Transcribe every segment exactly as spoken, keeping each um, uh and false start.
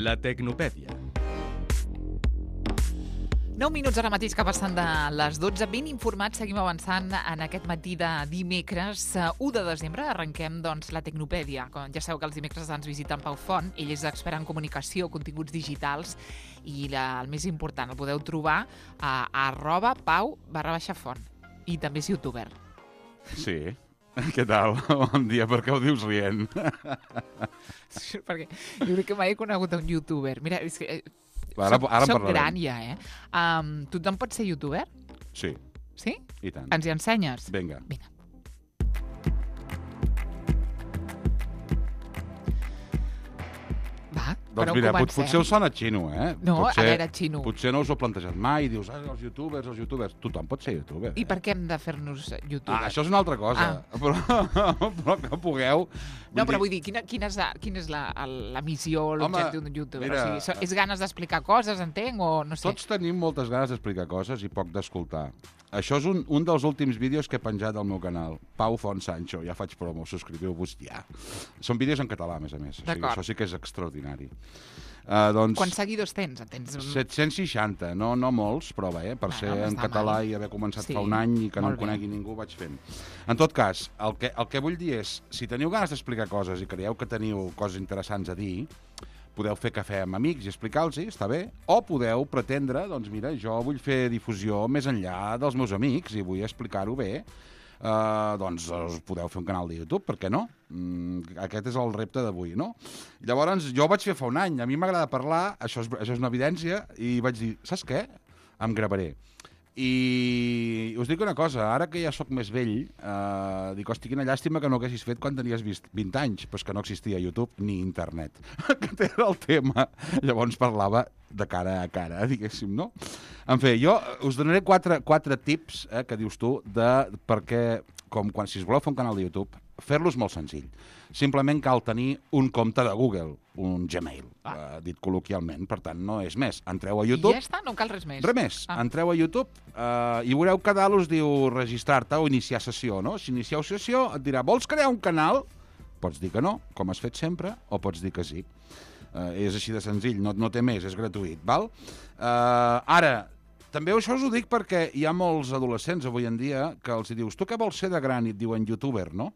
La Tecnopèdia. nou minuts ara mateix que passen de les dotze. Ben informats, seguim avançant en aquest matí de dimecres, u de desembre. Arrenquem doncs, la Tecnopèdia. Com ja sabeu que els dimecres ens visita en Pau Font. Ell és expert en comunicació, continguts digitals, i la, el més important, el podeu trobar a, a arroba pau barra baixa font. I també és youtuber. Sí. Què tal? Bon dia, per què ho dius rient? Perquè jo crec que mai he conegut un youtuber. Mira, és que... Ara, soc, ara soc gran ja, eh? Um, tothom pot ser youtuber? Sí. Sí? I tant. Ens hi ensenyes? Vinga. Vinga. Va, Doncs mira, pot, potser us sona xino, eh? No, potser, a veure, xino. Potser no us ho heu plantejat mai, dius, ah, els youtubers, els youtubers... Tothom pot ser youtuber. I per què hem de fer-nos youtubers? Ah, això és una altra cosa. Ah. Però, però que pugueu... No, però vull dir, quina, quina és, la, quina és la, la missió, l'objectiu d'un youtuber? Mira, o sigui, és ganes d'explicar coses, entenc, o no sé? Tots tenim moltes ganes d'explicar coses i poc d'escoltar. Això és un, un dels últims vídeos que he penjat al meu canal, Pau Font Sancho. Ja faig promo, subscriviu-vos ja. Són vídeos en català, a més a més. O sigui, això sí que és extraordinari. Uh, doncs, Quants seguidors tens? tens? set-cents seixanta, no, no molts, però bé, per Ah, ser no en català mal. I haver començat Sí, fa un any i que no molt em conegui ningú, vaig fent. En tot cas, el que, el que vull dir és, si teniu ganes d'explicar coses i creieu que teniu coses interessants a dir, podeu fer cafè amb amics i explicar-los, està bé, o podeu pretendre, doncs mira, jo vull fer difusió més enllà dels meus amics i vull explicar-ho bé, uh, doncs us podeu fer un canal de YouTube, per què no? Mm, aquest és el repte d'avui, no? Llavors, jo ho vaig fer fa un any, a mi m'agrada parlar, això és, això és una evidència, i vaig dir, saps què? Em gravaré. I us dic una cosa, ara que ja sóc més vell, eh, dic, hosti, quina llàstima que no haguessis fet quan tenies vint anys, però és que no existia YouTube ni internet. Aquest era el tema. Llavors parlava de cara a cara, diguéssim, no? En fi, jo us donaré quatre, quatre tips, eh, que dius tu, de perquè, com quan si us voleu fer un canal de YouTube, fer-los molt senzill. Simplement cal tenir un compte de Google, un Gmail, ah. eh, dit col·loquialment. Per tant, no és més. Entreu a YouTube... I ja està? No cal res més? Res més. Ah. Entreu a YouTube eh, i veureu que dalt us diu registrar-te o iniciar sessió, no? Si inicieu sessió et dirà, vols crear un canal? Pots dir que no, com has fet sempre, o pots dir que sí. Eh, és així de senzill, no, no té més, és gratuït, val? Eh, ara, també això us ho dic perquè hi ha molts adolescents avui en dia que els dius, tu què vols ser de gran? I et diuen youtuber, no?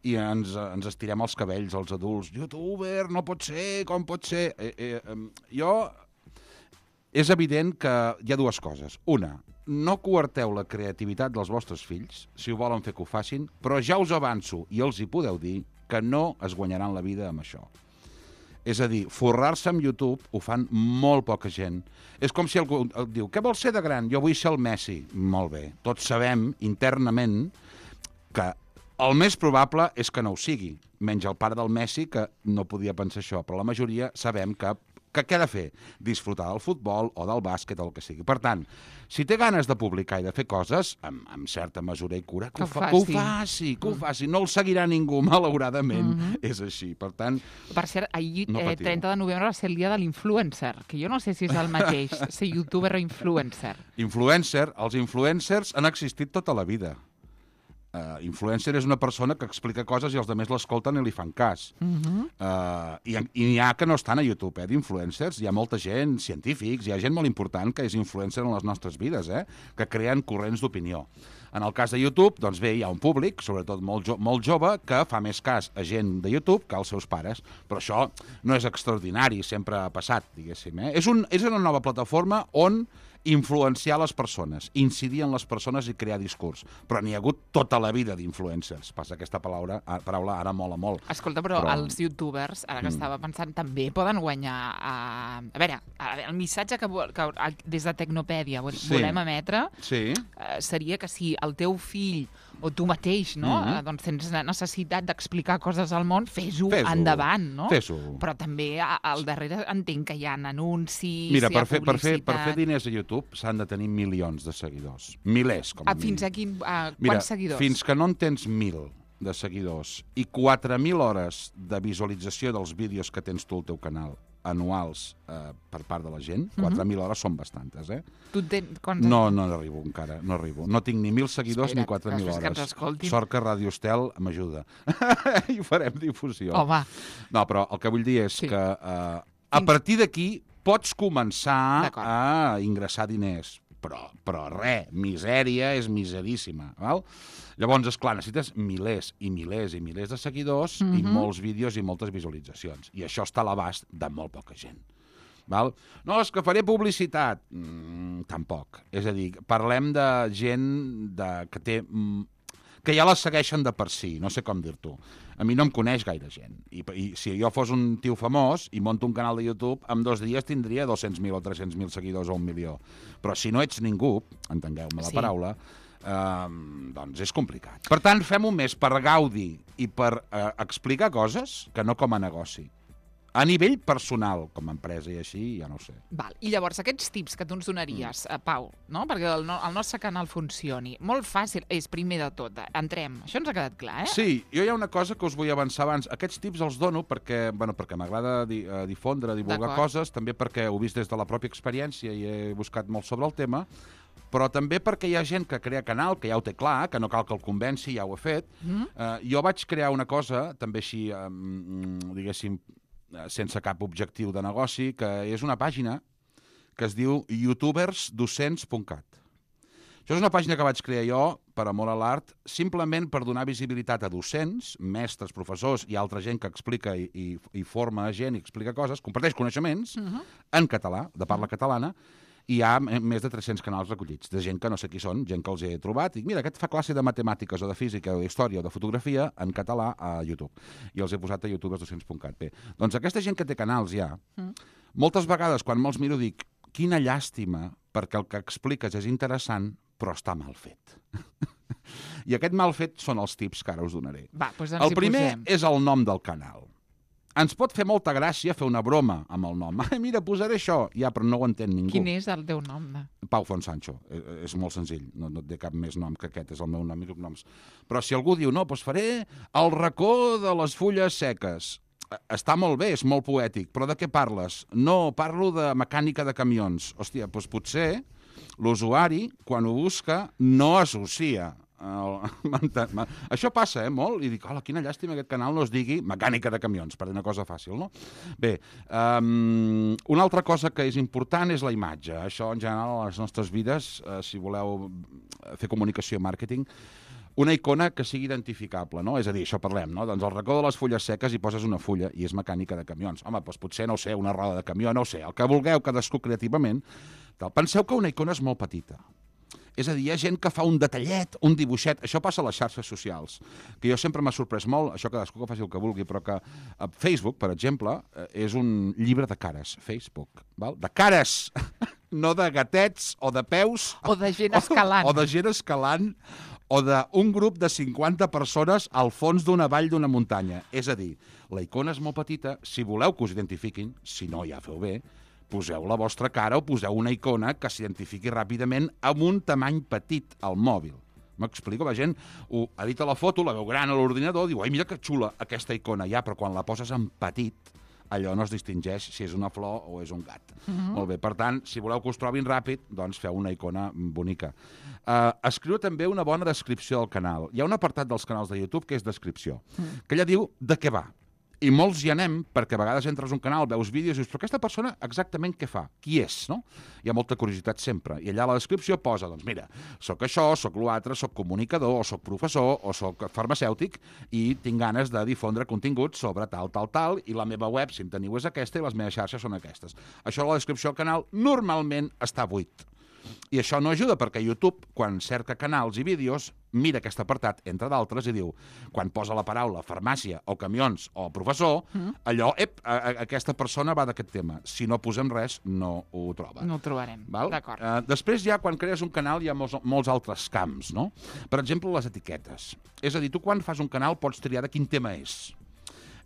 I ens, ens estirem els cabells, els adults. Youtuber, no pot ser, com pot ser? Eh, eh, jo... És evident que hi ha dues coses. Una, no coarteu la creativitat dels vostres fills, si ho volen fer que ho facin, però ja us avanço, i els hi podeu dir, que no es guanyaran la vida amb això. És a dir, forrar-se amb YouTube ho fan molt poca gent. És com si algú et diu, què vols ser de gran? Jo vull ser el Messi. Molt bé. Tots sabem, internament, que el més probable és que no ho sigui, menys el pare del Messi, que no podia pensar això, però la majoria sabem que, que què ha de fer? Disfrutar del futbol o del bàsquet o el que sigui. Per tant, si té ganes de publicar i de fer coses, amb, amb certa mesura i cura, que, que, ho, fa, que ho faci, que ho faci. No el seguirà ningú, malauradament. Mm-hmm. És així, per tant... Per cert, ahir, no eh, trenta de novembre, va ser el dia de l'influencer, que jo no sé si és el mateix, ser youtuber o influencer. Influencer, els influencers han existit tota la vida. Uh, influencer és una persona que explica coses i els altres l'escolten i li fan cas. Uh-huh. uh, I i n'hi ha que no estan a YouTube, eh, d'influencers. Hi ha molta gent, científics, hi ha gent molt important que és influencer en les nostres vides, eh, que creen corrents d'opinió. En el cas de YouTube, doncs bé, hi ha un públic, sobretot molt, jo molt jove, que fa més cas a gent de YouTube que als seus pares. Però això no és extraordinari, sempre ha passat, diguéssim. Eh? És, un, és una nova plataforma on influenciar les persones, incidir en les persones i crear discurs. Però n'hi ha hagut tota la vida d'influencers. Passa aquesta paraula, paraula ara mola molt. Escolta, però, però... els youtubers, ara que mm. estava pensant, també poden guanyar... Uh... A veure, el missatge que, que des de Tecnopèdia sí. volem emetre sí. uh, seria que si el teu fill o tu mateix, no? Mm-hmm. doncs tens necessitat d'explicar coses al món, fes-ho fes endavant, no? Fes-ho. Però també al darrere entenc que hi ha anuncis, Mira, hi ha per fer, per, fer, publicitat... per fer diners a YouTube s'han de tenir milions de seguidors. Milers, com a ah, fins a quin, uh, Mira, quants seguidors? Fins que no en tens mil de seguidors i quatre mil hores de visualització dels vídeos que tens tu al teu canal anuals eh, per part de la gent, quatre mil hores són bastantes, eh? Tu ten... No, no arribo encara, no arribo. No tinc ni mil seguidors Espera't, ni quatre mil hores. Que Sort que Ràdio Estel m'ajuda. I farem difusió. Home. No, però el que vull dir és sí. que eh, A partir d'aquí pots començar D'acord. a ingressar diners. Però, però res, misèria és miseríssima. Val? Llavors, esclar, necessites milers i milers i milers de seguidors i Mhm. molts vídeos i moltes visualitzacions. I això està a l'abast de molt poca gent. Val? No, és que faré publicitat. Mm, tampoc. És a dir, parlem de gent de, que té... Mm, que ja les segueixen de per si, no sé com dir-t'ho. A mi no em coneix gaire gent. I, I si jo fos un tio famós i monto un canal de YouTube, en dos dies tindria dos-cents mil o tres-cents mil seguidors o un milió. Però si no ets ningú, entengueu-me la Sí. paraula, eh, doncs és complicat. Per tant, fem-ho més per gaudi i per eh, explicar coses que no com a negoci. A nivell personal, com a empresa i així, ja no ho sé. Val. I llavors, aquests tips que tu ens donaries, mm. Pau, no? perquè el, no, el nostre canal funcioni, molt fàcil, és primer de tot, entrem. Això ens ha quedat clar, eh? Sí, jo hi ha una cosa que us vull avançar abans. Aquests tips els dono perquè, bueno, perquè m'agrada di, uh, difondre, divulgar coses, també perquè ho he vist des de la pròpia experiència i he buscat molt sobre el tema, però també perquè hi ha gent que crea canal, que ja ho té clar, que no cal que el convenci, ja ho he fet. Mm. Uh, jo vaig crear una cosa, també així, um, diguéssim, sense cap objectiu de negoci, que és una pàgina que es diu youtubers docents punt cat. Això és una pàgina que vaig crear jo, per amor a l'art, simplement per donar visibilitat a docents, mestres, professors i altra gent que explica i, i, i forma gent i explica coses, comparteix coneixements uh-huh. en català, de parla catalana, i hi ha més de tres-cents canals recollits, de gent que no sé qui són, gent que els he trobat, i mira, aquest fa classe de matemàtiques o de física o d'història o de fotografia en català a YouTube. I els he posat a youtubers docents punt cat. Bé, doncs aquesta gent que té canals ja, mm. moltes vegades quan me'ls miro dic, quina llàstima, perquè el que expliques és interessant, però està mal fet. I aquest mal fet són els tips que ara us donaré. Va, doncs ens el primer posem. és el nom del canal. Ens pot fer molta gràcia fer una broma amb el nom. Ai, mira, posaré això. Ja, però no ho entén ningú. Quin és el teu nom? De... Pau Fonsancho. És, és molt senzill. No, no té cap més nom que aquest. És el meu nom i cognoms. Però si algú diu, no, doncs faré el racó de les fulles seques. Està molt bé, és molt poètic. Però de què parles? No, parlo de mecànica de camions. Hòstia, doncs potser l'usuari, quan ho busca, no associa. El... Això passa, eh, molt, i dic, hola, quina llàstima que aquest canal no es digui mecànica de camions, per dir una cosa fàcil, no? Bé, um, una altra cosa que és important és la imatge. Això, en general, a les nostres vides, uh, si voleu fer comunicació i màrqueting, una icona que sigui identificable, no? És a dir, això parlem, no? Doncs al racó de les fulles seques hi poses una fulla i és mecànica de camions. Home, doncs potser, no ho sé, una roda de camió, no ho sé, el que vulgueu, cadascú creativament. Penseu que una icona és molt petita. És a dir, hi ha gent que fa un detallet, un dibuixet. Això passa a les xarxes socials, que jo sempre m'ha sorprès molt, això cadascú que faci el que vulgui, però que a Facebook, per exemple, és un llibre de cares, Facebook, val? De cares, no de gatets o de peus. O de gent escalant. O, o de gent escalant, o d'un grup de cinquanta persones al fons d'una vall d'una muntanya. És a dir, la icona és molt petita, si voleu que us identifiquin, si no ja feu bé, poseu la vostra cara o poseu una icona que s'identifiqui ràpidament amb un tamany petit al mòbil. M'explico? La gent ho edita la foto, la veu gran a l'ordinador, diu, ai, mira que xula aquesta icona, ja, però quan la poses en petit, allò no es distingeix si és una flor o és un gat. Uh-huh. Molt bé, per tant, si voleu que us trobin ràpid, doncs feu una icona bonica. Uh, escriu també una bona descripció del canal. Hi ha un apartat dels canals de YouTube que és descripció, uh-huh. que ella diu de què va. I molts hi anem, perquè a vegades entres a un canal, veus vídeos i dius, però aquesta persona exactament què fa? Qui és, no? Hi ha molta curiositat sempre. I allà a la descripció posa, doncs mira, sóc això, sóc l'altre, sóc comunicador, o sóc professor, o sóc farmacèutic, i tinc ganes de difondre contingut sobre tal, tal, tal, i la meva web, si en teniu, és aquesta, i les meves xarxes són aquestes. Això a la descripció del canal normalment està buit. I això no ajuda perquè YouTube, quan cerca canals i vídeos, mira aquest apartat, entre d'altres, i diu, quan posa la paraula farmàcia o camions o professor, mm. allò, ep, a, a, aquesta persona va d'aquest tema. Si no posem res, no ho troba. No ho trobarem, d'acord. Uh, després ja, quan crees un canal, hi ha molts, molts altres camps, no? Per exemple, les etiquetes. És a dir, tu quan fas un canal pots triar de quin tema és.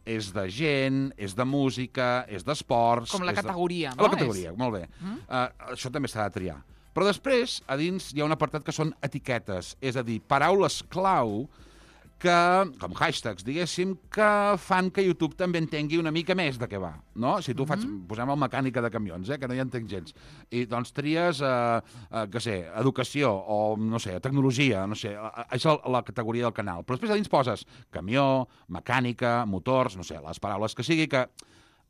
És de gent, és de música, és d'esports... Com la categoria, de... no? La categoria, és... molt bé. Mm? Uh, això també s'ha de triar. Però després, a dins, hi ha un apartat que són etiquetes, és a dir, paraules clau que, com hashtags, diguéssim, que fan que YouTube també entengui una mica més de què va, no? Si tu faig, mm-hmm. posem el mecànica de camions, eh, que no hi entenc gens, i doncs tries, eh, eh, què sé, educació, o, no sé, tecnologia, no sé, és la categoria del canal. Però després a dins poses camió, mecànica, motors, no sé, les paraules que sigui, que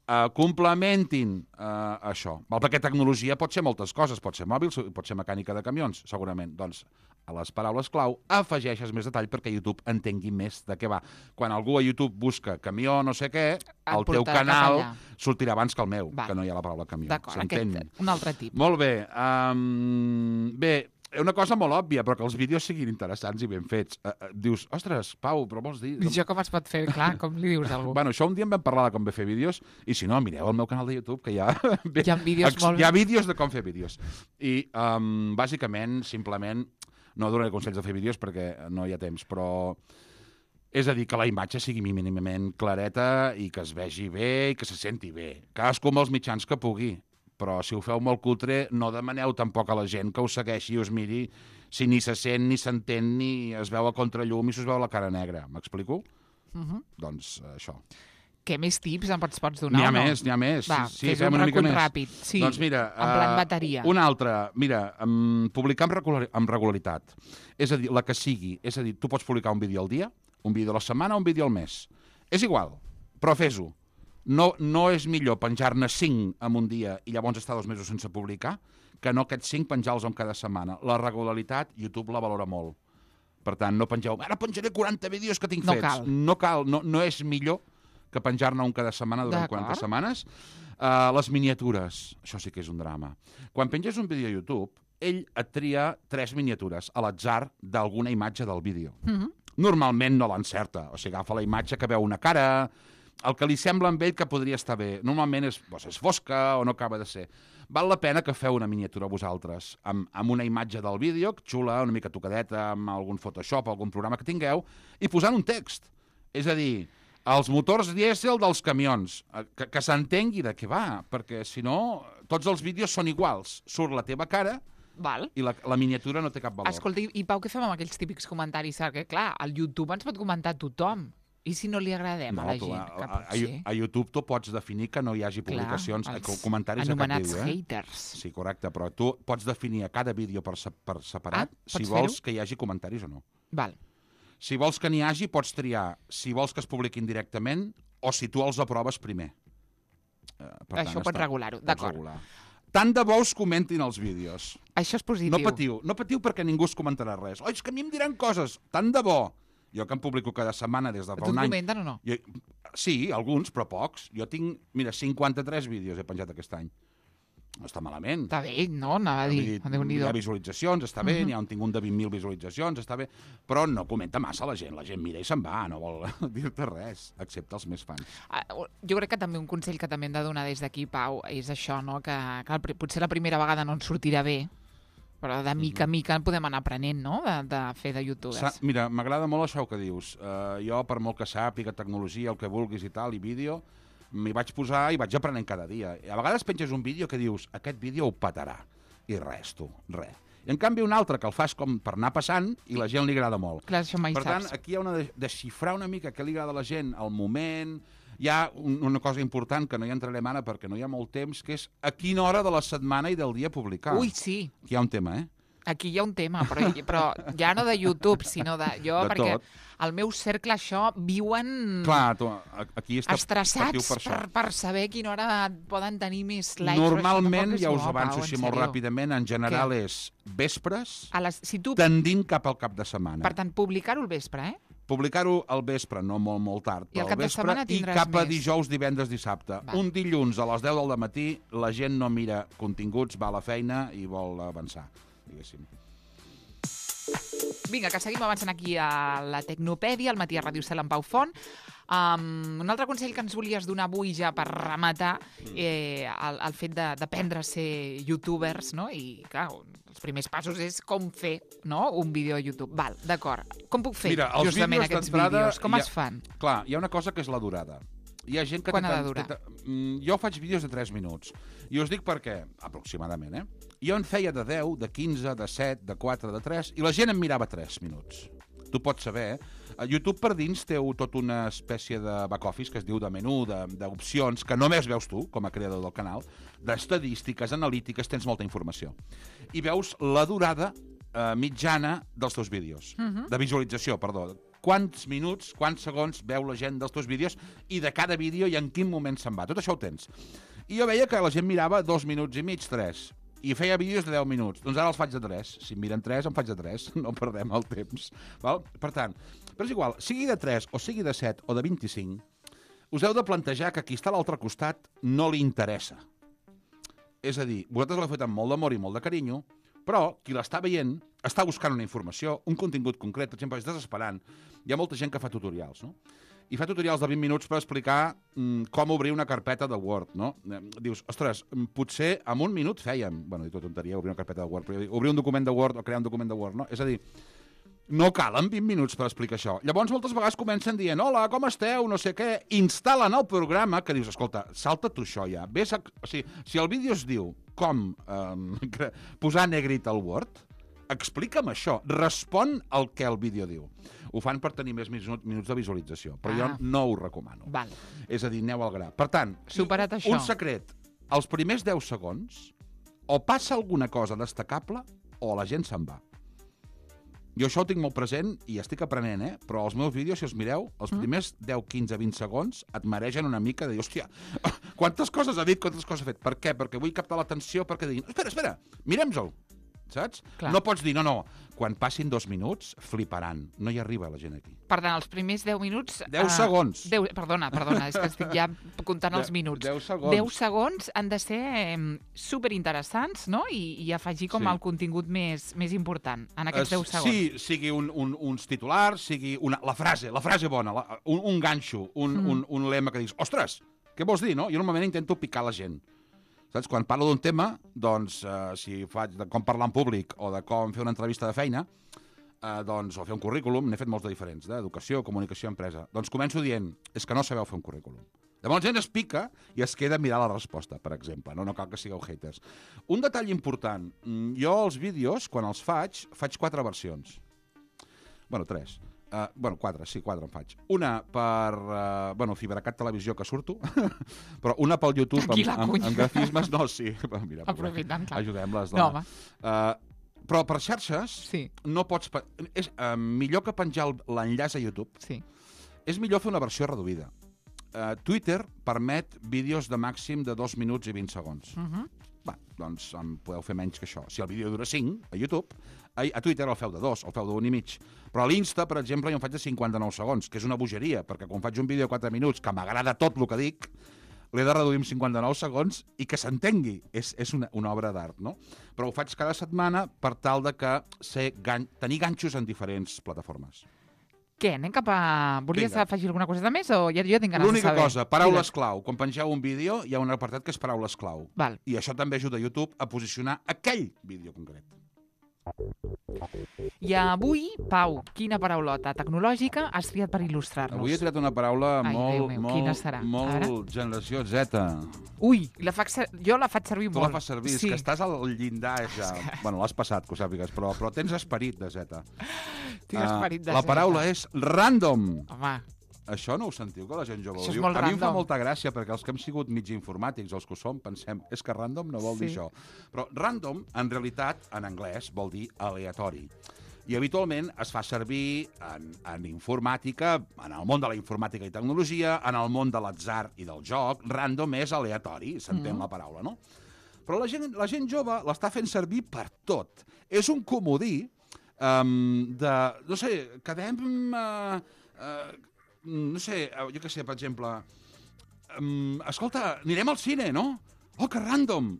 uh, complementin uh, això. Val? Perquè tecnologia pot ser moltes coses, pot ser mòbil, pot ser mecànica de camions, segurament. Doncs a les paraules clau afegeixes més detall perquè YouTube entengui més de què va. Quan algú a YouTube busca camió no sé què, el teu canal sortirà abans que el meu, va. Que no hi ha la paraula camió. D'acord, aquest, un altre tip. Molt bé. Um, bé, una cosa molt òbvia, però que els vídeos siguin interessants i ben fets. Uh, uh, dius, ostres, Pau, però vols dir... I això com es pot fer? Clar, com li dius a algú? Bueno, això un dia en vam parlar de com bé fer vídeos, i si no, mireu el meu canal de YouTube, que hi ha... Hi ha vídeos ex... molt... Hi ha vídeos de com fer vídeos. I, um, bàsicament, simplement, no donaré consells de fer vídeos perquè no hi ha temps, però... És a dir, que la imatge sigui mínimament clareta i que es vegi bé i que se senti bé. Cadascú amb els mitjans que pugui. Però si ho feu molt cutre, no demaneu tampoc a la gent que us segueixi i us miri si ni se sent, ni s'entén, ni es veu a contrallum i s'us veu la cara negra. M'explico? Uh -huh. Doncs això. Què més tips em pots, pots donar? N'hi ha o no? més, n'hi ha més. Va, sí, fes fem un una mica recull més. ràpid. Sí, doncs mira, en plan uh, bateria. Una altra, mira, um, publicar amb, regular, amb regularitat. És a dir, la que sigui. És a dir, tu pots publicar un vídeo al dia, un vídeo a la setmana o un vídeo al mes. És igual, però fes-ho. No, no és millor penjar-ne cinc en un dia i llavors estar dos mesos sense publicar que no aquests cinc penjar-los en cada setmana. La regularitat, YouTube la valora molt. Per tant, no pengeu, ara penjaré quaranta vídeos que tinc no fets. Cal. No cal. No, no és millor que penjar-ne un cada setmana durant quaranta setmanes. Uh, les miniatures, això sí que és un drama. Quan penges un vídeo a YouTube, ell et tria tres miniatures a l'atzar d'alguna imatge del vídeo. Mm-hmm. Normalment no l'encerta. O sigui, agafa la imatge que veu una cara... el que li sembla amb ell que podria estar bé. Normalment és, doncs, és fosca o no acaba de ser. Val la pena que feu una miniatura vosaltres, amb, amb una imatge del vídeo, xula, una mica tocadeta, amb algun Photoshop, algun programa que tingueu, i posant un text. És a dir, els motors dièsel dels camions, que, que s'entengui de què va, perquè si no, tots els vídeos són iguals. Surt la teva cara... Val. I la, la miniatura no té cap valor. Escolta, i Pau, què fem amb aquells típics comentaris? Perquè, clar, al YouTube ens pot comentar tothom. I si no li agradem no, a la tu, gent? A, a, a, a YouTube tu pots definir que no hi hagi publicacions, clar, comentaris a cap vídeo. Anomenats haters. Sí, correcte, però tu pots definir a cada vídeo per, per separat ah, si vols que hi hagi comentaris o no. Val. Si vols que n'hi hagi, pots triar si vols que es publiquin directament o si tu els aproves primer. Uh, per Això tant, pots regular-ho, d'acord. Regular. Tant de bo us comentin els vídeos. Això és positiu. No patiu, no patiu perquè ningú us comentarà res. Oi, és que a mi em diran coses. Tant de bo. Jo que em publico cada setmana des de fa un any... Tu et comenten o no? Jo, sí, alguns, però pocs. Jo tinc, mira, cinquanta-tres vídeos he penjat aquest any. No està malament. Està bé, no? Anava a dir, hi ha visualitzacions, està bé, uh -huh. n'hi ha un tinc un de vint mil visualitzacions, està bé, però no comenta massa la gent. La gent mira i se'n va, no vol dir-te res, excepte els més fans. Uh, jo crec que també un consell que també hem de donar des d'aquí, Pau, és això, no? Que, que potser la primera vegada no ens sortirà bé, però de mica en mica podem anar aprenent, no?, de, de fer de youtubers. Sa Mira, m'agrada molt això que dius. Uh, jo, per molt que sàpiga tecnologia, el que vulguis i tal, i vídeo, m'hi vaig posar i vaig aprenent cada dia. I a vegades penges un vídeo que dius, aquest vídeo ho petarà. I res, tu, res. I en canvi un altre que el fas com per anar passant i la gent li agrada molt. Clar, això mai per saps. tant, aquí hi ha una de desxifrar una mica què li agrada a la gent, al moment... Hi ha un, una cosa important que no hi entrarem ara perquè no hi ha molt temps, que és a quina hora de la setmana i del dia publicar. Ui, sí. Aquí hi ha un tema, eh? Aquí hi ha un tema, però, però ja no de YouTube, sinó de jo, de perquè tot. al meu cercle això viuen Clar, tu, aquí està estressats per, per, per saber quina hora poden tenir més likes. Normalment, ja us bo, avanço Pau, així molt ràpidament, en general Què? és vespres, a les, si tu... tendint cap al cap de setmana. Per tant, publicar-ho al vespre, eh? Publicar-ho al vespre, no molt, molt tard, però al vespre, i cap a dijous, divendres, dissabte. Va. Un dilluns a les deu del matí, la gent no mira continguts, va a la feina i vol avançar, diguéssim. Vinga, que seguim avançant aquí a la Tecnopèdia, al matí a Ràdio Cel amb Pau Font. Um, un altre consell que ens volies donar avui ja per rematar, eh, el, el fet d'aprendre a ser youtubers, no? I, clar, els primers passos és com fer, no?, un vídeo a YouTube. Val, d'acord. Com puc fer Mira, justament aquests vídeos? Com ha, es fan? Clar, hi ha una cosa que és la durada. Hi ha gent que Quan ha de durar? Jo faig vídeos de tres minuts. I us dic per què, aproximadament, eh? Jo en feia de deu, de quinze, de set, de quatre, de tres, i la gent em mirava tres minuts. Tu pots saber, eh? YouTube per dins té tot una espècie de back-office que es diu de menú, d'opcions, que només veus tu, com a creador del canal, d'estadístiques, analítiques, tens molta informació. I veus la durada eh, mitjana dels teus vídeos, uh-huh. de visualització, perdó. quants minuts, quants segons veu la gent dels teus vídeos i de cada vídeo i en quin moment se'n va. Tot això ho tens. I jo veia que la gent mirava dos minuts i mig, tres, i feia vídeos de deu minuts. Doncs ara els faig de tres. Si em miren tres, em faig de tres. No perdem el temps. Val? Per tant, però és igual, sigui de tres, o sigui de set, o de vint-i-cinc, us heu de plantejar que qui està a l'altre costat no li interessa. És a dir, vosaltres l'heu fet amb molt d'amor i molt de carinyo, però qui l'està veient està buscant una informació, un contingut concret. Per exemple, estàs esperant. Hi ha molta gent que fa tutorials, no? I fa tutorials de vint minuts per explicar mm, com obrir una carpeta de Word, no? Dius, ostres, potser en un minut fèiem, bueno, dic tota tonteria, obrir una carpeta de Word, però obrir un document de Word o crear un document de Word, no? És a dir, no calen vint minuts per explicar això. Llavors, moltes vegades comencen dient, hola, com esteu, no sé què, instal·len el programa, que dius, escolta, salta tu això ja. Ves a... O sigui, si el vídeo es diu com eh, posar negrit al Word, explica'm això, respon al que el vídeo diu. Ho fan per tenir més minuts de visualització, però ah. jo no ho recomano. Val. És a dir, aneu al gra. Per tant, superat això, un secret, els primers deu segons, o passa alguna cosa destacable o la gent se'n va. Jo això ho tinc molt present i estic aprenent, eh? Però els meus vídeos, si els mireu, els primers deu, quinze, vint segons et mereixen una mica de dir, hòstia, quantes coses ha dit, quantes coses ha fet. Per què? Perquè vull captar l'atenció, perquè diguin, espera, espera, mirem-se'l. Saps? Clar. No pots dir, no, no, quan passin dos minuts, fliparan. No hi arriba la gent aquí. Per tant, els primers deu minuts... Deu uh, segons. Deu, perdona, perdona, és que estic ja comptant els minuts. Deu segons. Deu segons han de ser eh, superinteressants, no? I, i afegir com sí. el contingut més, més important en aquests deu segons. Sí, sigui un, un, uns titulars, sigui una, la frase, la frase bona, la, un, un ganxo, un, mm. un, un lema que dius, ostres, què vols dir, no? Jo normalment intento picar la gent. Saps? Quan parlo d'un tema, doncs, eh, si faig de com parlar en públic o de com fer una entrevista de feina, eh, doncs, o fer un currículum, n'he fet molts de diferents, d'educació, comunicació, empresa. Doncs començo dient, és que no sabeu fer un currículum. Llavors la gent es pica i es queda a mirar la resposta, per exemple. No, no cal que sigueu haters. Un detall important, jo els vídeos, quan els faig, faig quatre versions. Bueno, tres. Uh, bueno, quatre, sí, quatre en faig. Una per, uh, bueno, Fibracat Televisió, que surto, però una pel YouTube amb, amb, amb grafismes, no, sí. Mira, aprofitant, clar. Ajudem-les. No, home. Uh, però per xarxes sí. no pots... És uh, millor que penjar l'enllaç a YouTube. Sí. És millor fer una versió reduïda. Uh, Twitter permet vídeos de màxim de dos minuts i vint segons. Uh -huh. Va, doncs en podeu fer menys que això. Si el vídeo dura cinc, a YouTube, a, a Twitter el feu de dos, el feu d'un i mig. Però a l'Insta, per exemple, jo en faig de cinquanta-nou segons, que és una bogeria, perquè quan faig un vídeo de quatre minuts, que m'agrada tot el que dic, l'he de reduir en cinquanta-nou segons i que s'entengui. És, és una, una obra d'art, no? Però ho faig cada setmana per tal de que sé gan tenir ganxos en diferents plataformes. Què, anem cap a... Volies Vinga. afegir alguna cosa de més o ja, jo tinc ganes de saber? L'única cosa, paraules Digues. clau. Quan pengeu un vídeo hi ha un apartat que és paraules clau. Val. I això també ajuda a YouTube a posicionar aquell vídeo concret. I avui, Pau, quina paraulota tecnològica has triat per il·lustrar-nos? Avui he triat una paraula Ai, molt, meu, molt, molt generació Z. Ui, la faig jo la faig servir tu molt. Tu la fas servir, sí. És que estàs al llindar ja. Que... Bueno, l'has passat, que ho sàpigues, però, però tens esperit de Z. Tinc uh, esperit de la Z. La paraula és random. Home. Això no ho sentiu, que la gent jove això ho diu? A mi random. em fa molta gràcia, perquè els que hem sigut mig informàtics, els que ho som, pensem, és que random no vol sí. dir això. Però random, en realitat, en anglès, vol dir aleatori. I habitualment es fa servir en, en informàtica, en el món de la informàtica i tecnologia, en el món de l'atzar i del joc, random és aleatori, s'entén mm. la paraula, no? Però la gent, la gent jove l'està fent servir per tot. És un comodí um, de, no sé, quedem... Uh, uh, no sé, jo què sé, per exemple, um, escolta, anirem al cine, no? Oh, que random!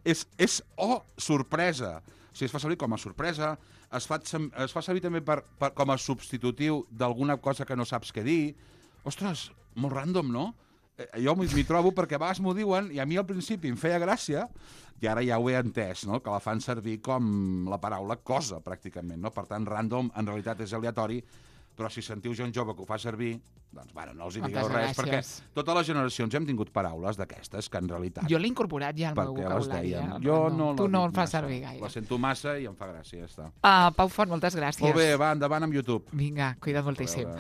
és, és, oh, sorpresa. O sigui, es fa servir com a sorpresa, es fa, es fa servir també per, per, com a substitutiu d'alguna cosa que no saps què dir. Ostres, molt random, no? Eh, jo m'hi trobo perquè a vegades m'ho diuen i a mi al principi em feia gràcia i ara ja ho he entès, no? Que la fan servir com la paraula cosa, pràcticament, no? Per tant, random en realitat és aleatori, però si sentiu gent jove que ho fa servir, doncs, bueno, no els hi digueu res, perquè totes les generacions hem tingut paraules d'aquestes que en realitat... Jo l'he incorporat ja al meu vocabulari. Eh? Jo no, no tu no el fas massa. servir gaire. La sento massa i em fa gràcia, ja està. Uh, Pau Font, moltes gràcies. Molt bé, va, endavant amb YouTube. Vinga, cuida't moltíssim.